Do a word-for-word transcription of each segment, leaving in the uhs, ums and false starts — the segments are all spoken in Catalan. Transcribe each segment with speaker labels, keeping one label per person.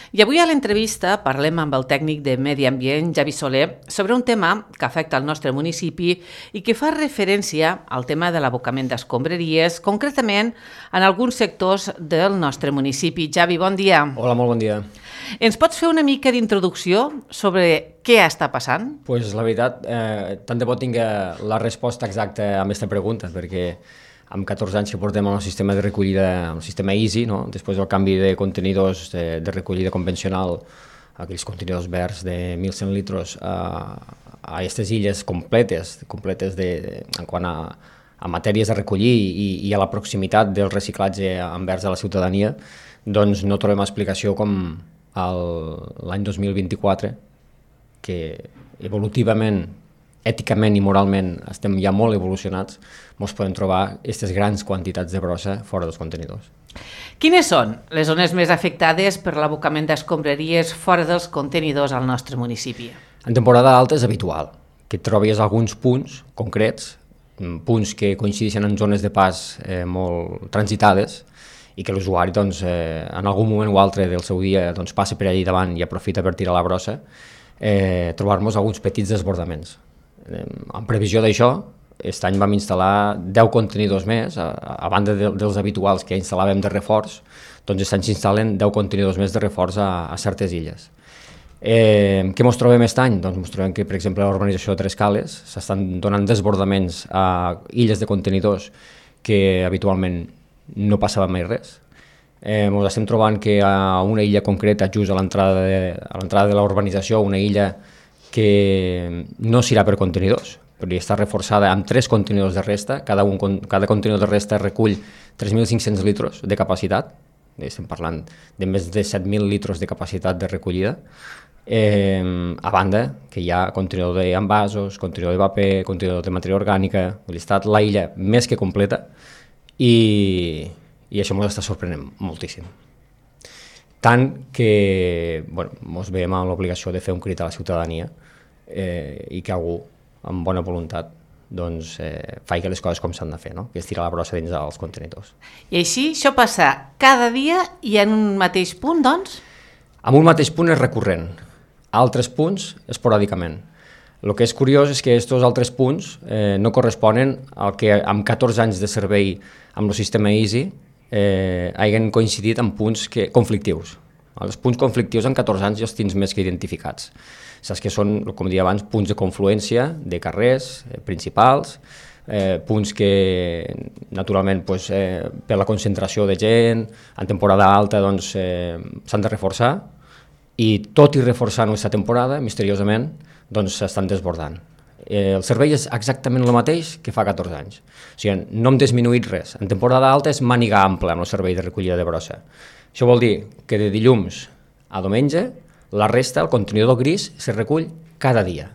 Speaker 1: I avui a l'entrevista parlem amb el tècnic de Medi Ambient, Javi Soler, sobre un tema que afecta el nostre municipi i que fa referència al tema de l'abocament d'escombraries, concretament en alguns sectors del nostre municipi. Javi, bon dia.
Speaker 2: Hola, molt bon dia.
Speaker 1: Ens pots fer una mica d'introducció sobre què està passant?
Speaker 2: Pues la veritat, eh, tant de bo tinc la resposta exacta a aquesta pregunta, perquè amb catorze anys que portem al sistema de recollida, el sistema Easy, no? Després del canvi de contenidors de, de recollida convencional, aquells contenidors verds de mil cent litres a, a aquestes illes completes, completes de, de, en quant a, a matèries a recollir i, i a la proximitat del reciclatge envers a la ciutadania, doncs no trobem explicació com l'any dos mil vint-i-quatre, que evolutivament, èticament i moralment estem ja molt evolucionats, ens podem trobar aquestes grans quantitats de brossa fora dels contenidors.
Speaker 1: Quines són les zones més afectades per l'abocament d'escombraries fora dels contenidors al nostre municipi?
Speaker 2: En temporada alta és habitual que trobis alguns punts concrets, punts que coincideixen en zones de pas eh, molt transitades i que l'usuari doncs, eh, en algun moment o altre del seu dia doncs, passa per allà davant i aprofita per tirar la brossa, eh, trobar-nos alguns petits desbordaments. En previsió d'això, aquest any vam instal·lar deu contenidors més, a, a banda de, dels habituals que instal·làvem de reforç, doncs aquest any s'instal·len deu contenidors més de reforç a, a certes illes. Eh, què ens trobem aquest any? Doncs ens trobem que, per exemple, a l'urbanització de Tres Cales s'estan donant desbordaments a illes de contenidors que habitualment no passava mai res. Eh, ens estem trobant que a una illa concreta, just a l'entrada de, a l'entrada de la urbanització, una illa que no serà per contenidors, perquè està reforçada amb tres contenidors de resta, cada, un, cada contenidor de resta recull tres mil cinc-cents litres de capacitat, estem parlant de més de set mil litres de capacitat de recollida, eh, a banda que hi ha contenidor d'envasos, contenidor de paper, contenidor de matèria orgànica, ha estat la illa més que completa i, i això ens està sorprenent moltíssim. Tant que bueno, ens veiem amb l'obligació de fer un crit a la ciutadania eh, i que algú, amb bona voluntat, doncs, eh, faci les coses com s'han de fer, no? Que és tirar la brossa dins dels contenidors.
Speaker 1: I així, això passa cada dia i en un mateix punt, doncs?
Speaker 2: En un mateix punt és recurrent, altres punts esporàdicament. El que és curiós és que aquests altres punts eh, no corresponen al que amb catorze anys de servei amb el sistema Easy Eh, hagin coincidit en punts que, conflictius. Els punts conflictius en catorze anys ja els tens més que identificats. Saps que són, com deia abans, punts de confluència de carrers eh, principals, eh, punts que naturalment pues, eh, per la concentració de gent, en temporada alta doncs, eh, s'han de reforçar i tot i reforçar aquesta temporada, misteriosament, doncs s'estan desbordant. Eh, el servei és exactament el mateix que fa catorze anys. O sigui, no hem disminuït res. En temporada alta és màniga ampla amb el servei de recollida de brossa. Això vol dir que de dilluns a diumenge la resta, el contenidor gris, se recull cada dia.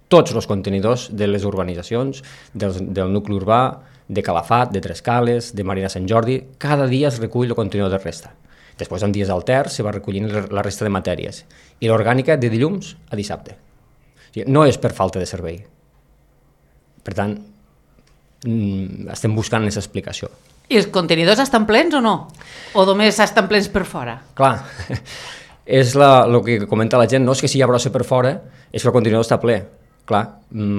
Speaker 2: Tots els contenidors de les urbanitzacions, del, del nucli urbà, de Calafat, de Tres Cales, de Marina Sant Jordi, cada dia es recull el contenidor de resta. Després, en dies alters, se va recollint la resta de matèries. I l'orgànica de dilluns a dissabte. No és per falta de servei. Per tant, estem buscant aquesta explicació.
Speaker 1: I els contenidors estan plens o no? O només estan plens per fora?
Speaker 2: Clar, és la, el que comenta la gent, no és que si hi ha brossa per fora, és que el contenidor està ple. Clar,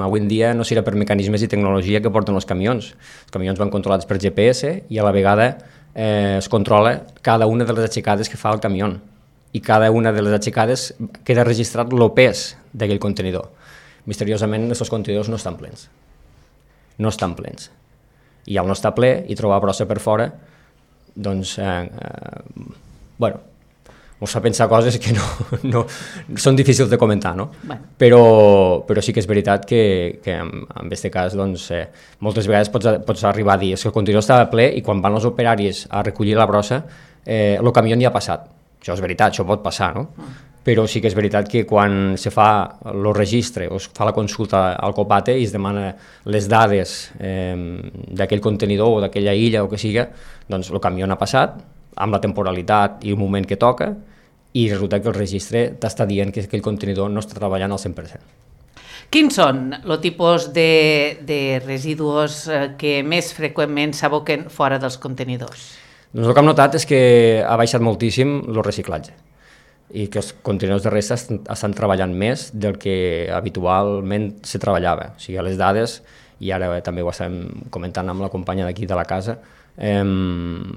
Speaker 2: avui en dia no serà per mecanismes i tecnologia que porten els camions. Els camions van controlats per G P S i a la vegada eh, es controla cada una de les aixecades que fa el camió. I cada una de les aixecades queda registrat el pes d'aquell contenidor. Misteriosament, aquests contenidors no estan plens. No estan plens. I al no estar ple i trobar brossa per fora, doncs, eh, eh, bueno, ens fa pensar coses que no, no, són difícils de comentar, no?
Speaker 1: Bueno.
Speaker 2: Però, però sí que és veritat que, que en, en aquest cas, doncs, eh, moltes vegades pots, pots arribar a dir que el contenidor estava ple i quan van els operaris a recollir la brossa, eh, el camió ja ha passat. Això és veritat, això pot passar, no? Mm. Però sí que és veritat que quan se fa el registre o es fa la consulta al COPATE i es demana les dades eh, d'aquell contenidor o d'aquella illa o que siga, doncs el camió ha passat amb la temporalitat i el moment que toca i resulta que el registre t'està dient que aquell contenidor no està treballant al cent per cent.
Speaker 1: Quins són els tipus de, de residus que més freqüentment s'aboquen fora dels contenidors?
Speaker 2: Doncs el que hem notat és que ha baixat moltíssim el reciclatge. i que els contenidors de resta estan, estan treballant més del que habitualment se treballava. O sigui, a les dades, i ara també ho estem comentant amb la companya d'aquí de la casa, eh,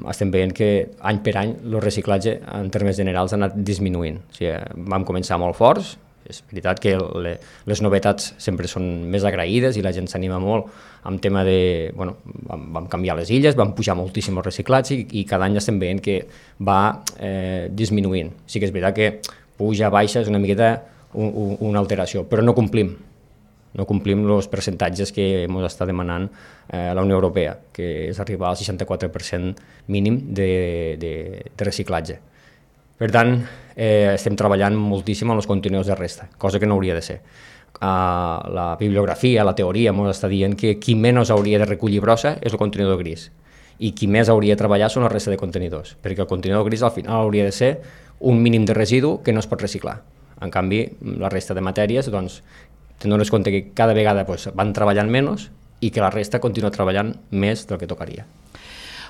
Speaker 2: estem veient que any per any el reciclatge en termes generals ha anat disminuint. O sigui, vam començar molt forts, és veritat que le, les novetats sempre són més agraïdes i la gent s'anima molt amb tema de... Bueno, vam, vam canviar les illes, vam pujar moltíssim el reciclatge i, i cada any estem veient que va eh, disminuint. Sí que és veritat que puja, baixa, és una miqueta un, un, una alteració, però no complim. No complim els percentatges que ens està demanant eh, la Unió Europea, que és arribar al seixanta-quatre per cent mínim de, de, de reciclatge. Per tant, eh, estem treballant moltíssim amb els contenidors de resta, cosa que no hauria de ser. Uh, la bibliografia, la teoria, ens està dient que qui menys hauria de recollir brossa és el contenidor gris i qui més hauria de treballar són la resta de contenidors, perquè el contenidor gris al final hauria de ser un mínim de residu que no es pot reciclar. En canvi, la resta de matèries, doncs, te'n dones compte que cada vegada pues, van treballant menys i que la resta continua treballant més del que tocaria.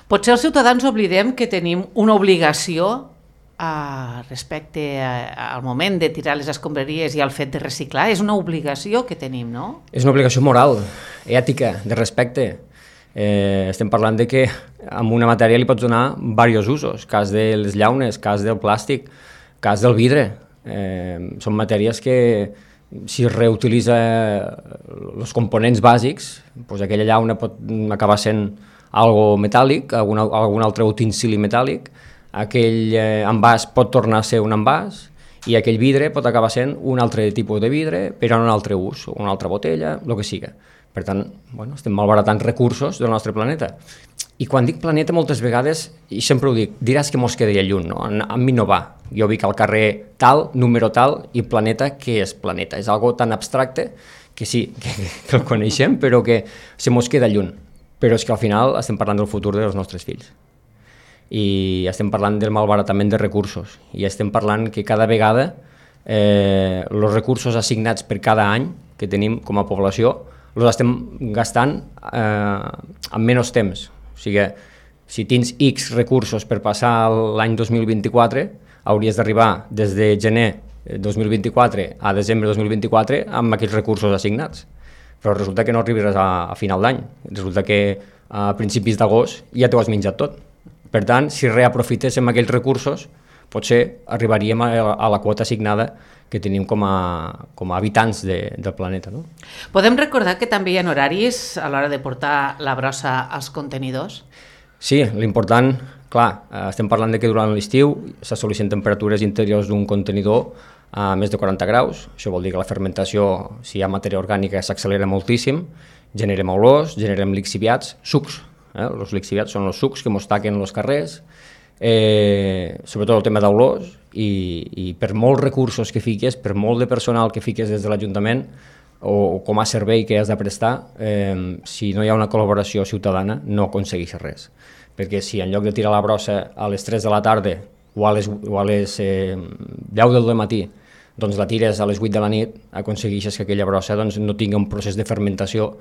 Speaker 1: Potser els ciutadans oblidem que tenim una obligació Uh, respecte a, al moment de tirar les escombraries i al fet de reciclar. És una obligació que tenim, no?
Speaker 2: És una obligació moral, ètica, de respecte. Eh, estem parlant de que amb una matèria li pots donar diversos usos, cas de les llaunes, cas del plàstic, cas del vidre. Eh, són matèries que si es reutilitza els components bàsics, doncs aquella llauna pot acabar sent algo metàl·lic, algun, algun altre utensili metàl·lic, aquell eh, envàs pot tornar a ser un envàs i aquell vidre pot acabar sent un altre tipus de vidre per a un altre ús, una altra botella, el que siga. Per tant, bueno, estem malbaratant recursos del nostre planeta. I quan dic planeta moltes vegades, i sempre ho dic, diràs que mos quedaria lluny, no? A mi no va. Jo vic al carrer tal, número tal, i planeta, què és planeta? És algo tan abstracte que sí, que, que el coneixem, però que se mos queda lluny. Però és que al final estem parlant del futur dels nostres fills. I estem parlant del malbaratament de recursos i estem parlant que cada vegada eh, els recursos assignats per cada any que tenim com a població els estem gastant eh, en menys temps. O sigui, si tens X recursos per passar l'any dos mil vint-i-quatre, hauries d'arribar des de gener dos mil vint-i-quatre a desembre dos mil vint-i-quatre amb aquells recursos assignats. Però resulta que no arribaràs a, a final d'any, resulta que a principis d'agost ja t'ho has menjat tot. Per tant, si reaprofitéssim aquells recursos, potser arribaríem a, a la quota assignada que tenim com a, com a habitants de, del planeta. No?
Speaker 1: Podem recordar que també hi ha horaris a l'hora de portar la brossa als contenidors?
Speaker 2: Sí, l'important, clar, estem parlant de que durant l'estiu s'assoleixen temperatures interiors d'un contenidor a més de quaranta graus. Això vol dir que la fermentació, si hi ha matèria orgànica, s'accelera moltíssim, generem olors, generem lixiviats, sucs. Eh? Els lixiviats són els sucs que mos taquen els carrers, eh, sobretot el tema d'olors, i, i per molts recursos que fiques, per molt de personal que fiques des de l'Ajuntament o, o com a servei que has de prestar, eh, si no hi ha una col·laboració ciutadana no aconsegueixes res. Perquè si en lloc de tirar la brossa a les tres de la tarda o a les, o a les eh, deu del matí, doncs la tires a les vuit de la nit, aconsegueixes que aquella brossa doncs, no tingui un procés de fermentació,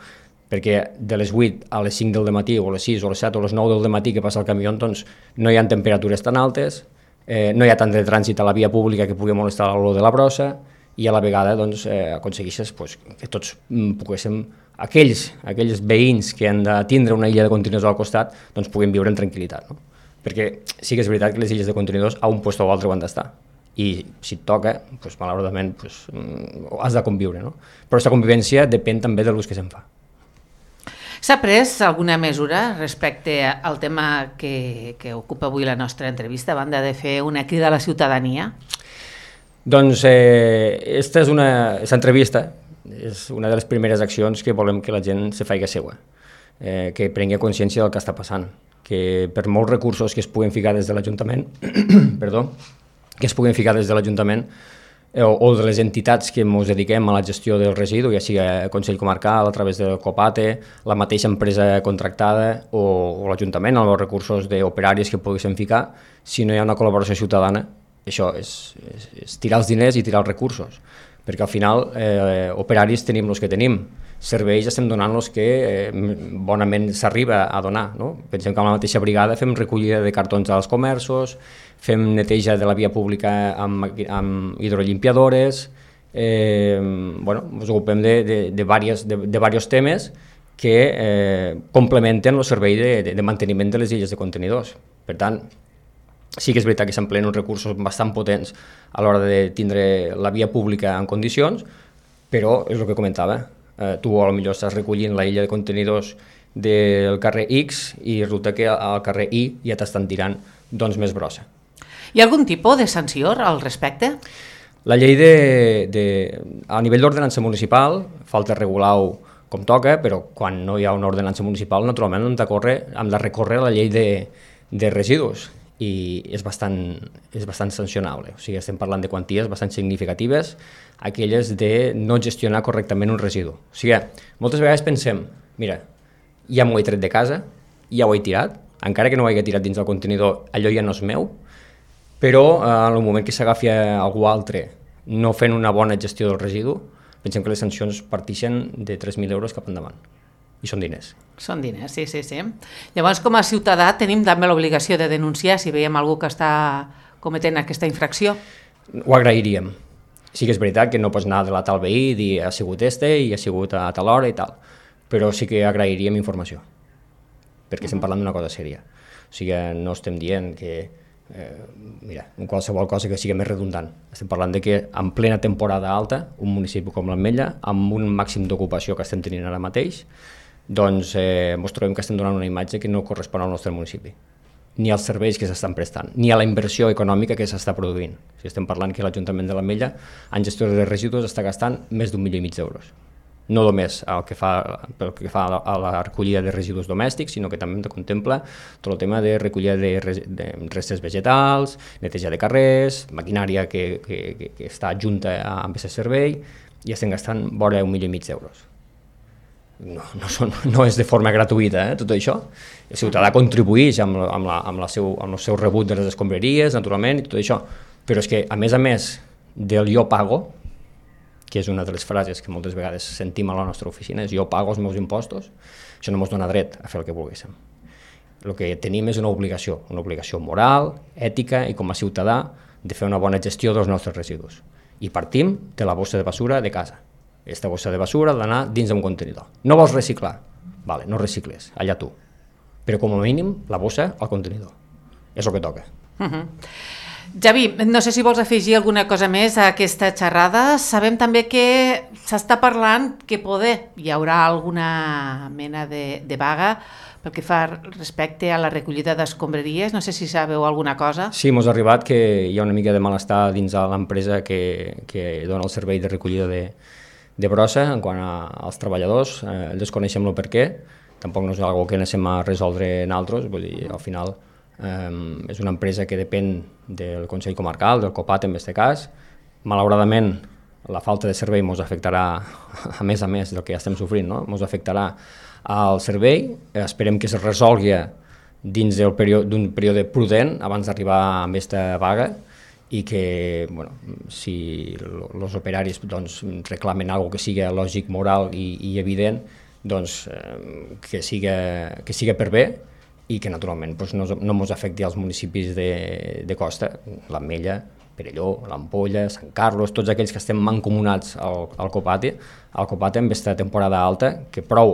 Speaker 2: perquè de les vuit a les cinc del matí o a les sis o a les set o a les nou del matí que passa el camió, doncs no hi ha temperatures tan altes, eh, no hi ha tant de trànsit a la via pública que pugui molestar l'olor de la brossa i a la vegada doncs, eh, aconsegueixes pues, que tots mm, poguéssim, aquells, aquells veïns que han de tindre una illa de contenidors al costat, doncs puguem viure en tranquil·litat. No? Perquè sí que és veritat que les illes de contenidors a un lloc o altre ho han d'estar. I si et toca, doncs, malauradament, doncs, has de conviure. No? Però aquesta convivència depèn també de l'ús que se'n fa.
Speaker 1: S'ha pres alguna mesura respecte al tema que, que ocupa avui la nostra entrevista, a banda de fer una crida a la ciutadania?
Speaker 2: Doncs eh, esta és una, aquesta entrevista és una de les primeres accions que volem que la gent se faci seua, eh, que prengui consciència del que està passant, que per molts recursos que es puguen ficar des de l'Ajuntament, perdó, que es puguen ficar des de l'Ajuntament, o, o de les entitats que ens dediquem a la gestió del residu, ja sigui el Consell Comarcal, a través del COPATE, la mateixa empresa contractada o, o l'Ajuntament, amb els recursos d'operaris que poguessin ficar, si no hi ha una col·laboració ciutadana, això és, és, és tirar els diners i tirar els recursos. perquè al final eh, operaris tenim els que tenim, serveis estem donant els que eh, bonament s'arriba a donar, no? Pensem que amb la mateixa brigada fem recollida de cartons als comerços, fem neteja de la via pública amb, amb hidrolimpiadores, eh, bueno, ens ocupem de, de, de, diversos, de, de diversos temes que eh, complementen el servei de, de, de manteniment de les illes de contenidors. Per tant, sí que és veritat que s'empleen uns recursos bastant potents a l'hora de tindre la via pública en condicions, però és el que comentava, eh, tu potser estàs recollint la illa de contenidors del carrer X i resulta que al carrer Y ja t'estan tirant doncs, més brossa.
Speaker 1: Hi ha algun tipus de sanció al respecte?
Speaker 2: La llei de, de, a nivell d'ordenança municipal falta regular-ho com toca, però quan no hi ha una ordenança municipal, naturalment hem de, córrer, hem de recórrer a la llei de, de residus i és bastant, és bastant sancionable. O sigui, estem parlant de quanties bastant significatives, aquelles de no gestionar correctament un residu. O sigui, moltes vegades pensem, mira, ja m'ho he tret de casa, ja ho he tirat, encara que no ho hagi tirat dins del contenidor, allò ja no és meu, però eh, en el moment que s'agafi a algú altre no fent una bona gestió del residu, pensem que les sancions partixen de tres mil euros cap endavant. I són diners.
Speaker 1: Són diners, sí, sí, sí. Llavors, com a ciutadà, tenim també l'obligació de denunciar si veiem algú que està cometent aquesta infracció.
Speaker 2: Ho agrairíem. Sí que és veritat que no pots anar de la tal veí i dir ha sigut este i ha sigut a tal hora i tal, però sí que agrairíem informació, perquè estem parlant d'una cosa sèria. O sigui, no estem dient que Eh, mira, qualsevol cosa que sigui més redundant. Estem parlant de que en plena temporada alta, un municipi com l'Ametlla, amb un màxim d'ocupació que estem tenint ara mateix, doncs eh, ens trobem que estem donant una imatge que no correspon al nostre municipi, ni als serveis que s'estan prestant, ni a la inversió econòmica que s'està produint. O sigui, estem parlant que l'Ajuntament de l'Ametlla en gestió de residus està gastant més d'un milió i mig d'euros. No només el que fa, pel que fa a la recollida de residus domèstics, sinó que també contempla tot el tema de recollida de, de restes vegetals, neteja de carrers, maquinària que, que, que, que està adjunta amb aquest servei, i estem gastant vora un milió i mig d'euros. No, no, són, no és de forma gratuïta, eh, tot això. El ciutadà contribueix amb, amb, la, amb, la seu, amb el seu rebut de les escombraries, naturalment, i tot això. Però és que, a més a més del jo pago, que és una de les frases que moltes vegades sentim a la nostra oficina, és jo pago els meus impostos, això no ens dona dret a fer el que volguéssim. El que tenim és una obligació, una obligació moral, ètica i com a ciutadà de fer una bona gestió dels nostres residus. I partim de la bossa de basura de casa. Aquesta bossa de basura ha d'anar dins d'un contenidor. No vols reciclar? Vale, no recicles, allà tu. Però com a mínim la bossa al contenidor. És el que toca.
Speaker 1: Uh-huh. Javi, no sé si vols afegir alguna cosa més a aquesta xerrada. Sabem també que s'està parlant que poder hi haurà alguna mena de, de vaga pel que fa respecte a la recollida d'escombraries. No sé si sabeu alguna cosa.
Speaker 2: Sí, ens ha arribat que hi ha una mica de malestar dins de l'empresa que, que dona el servei de recollida de, de brossa en quant a, als treballadors. Eh, desconeixem el per què, tampoc no és una cosa que anéssim a resoldre nosaltres, vull dir, al final Um, és una empresa que depèn del Consell Comarcal, del COPAT en aquest cas. Malauradament, la falta de servei ens afectarà, a més a més del que ja estem sofrint, no? Ens afectarà al servei. Esperem que es resolgui dins d'un període, període prudent abans d'arribar a aquesta vaga i que, bueno, si els operaris doncs, reclamen alguna que sigui lògic, moral i, i evident, doncs eh, que siga, que siga per bé i que naturalment doncs, no, no ens afecti als municipis de, de costa, l'Ametlla, Perelló, l'Ampolla, Sant Carlos, tots aquells que estem mancomunats al, al Copate, al Copate amb aquesta temporada alta, que prou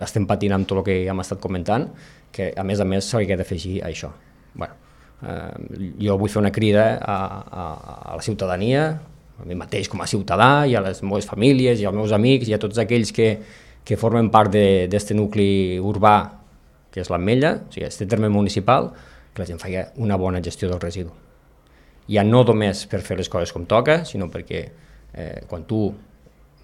Speaker 2: estem patint amb tot el que ja hem estat comentant, que a més a més s'hauria d'afegir a això. Bueno, eh, jo vull fer una crida a, a, a la ciutadania, a mi mateix com a ciutadà, i a les meves famílies, i als meus amics, i a tots aquells que, que formen part d'aquest nucli urbà que és l'Ametlla, o sigui, aquest terme municipal, que la gent faci una bona gestió del residu. Ja no només per fer les coses com toca, sinó perquè eh, quan tu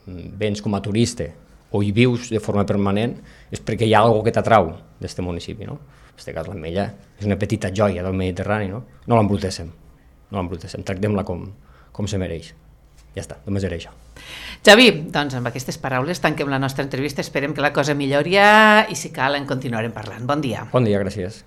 Speaker 2: vens com a turista o hi vius de forma permanent és perquè hi ha alguna cosa que t'atrau d'aquest municipi. No? En aquest cas l'Ametlla és una petita joia del Mediterrani, no, no l'embrutéssim, no l'embrutéssim, tractem-la com, com se mereix. Ja està, només era això.
Speaker 1: Javi, doncs amb aquestes paraules tanquem la nostra entrevista, esperem que la cosa millori i si cal en continuarem parlant. Bon dia.
Speaker 2: Bon dia, gràcies.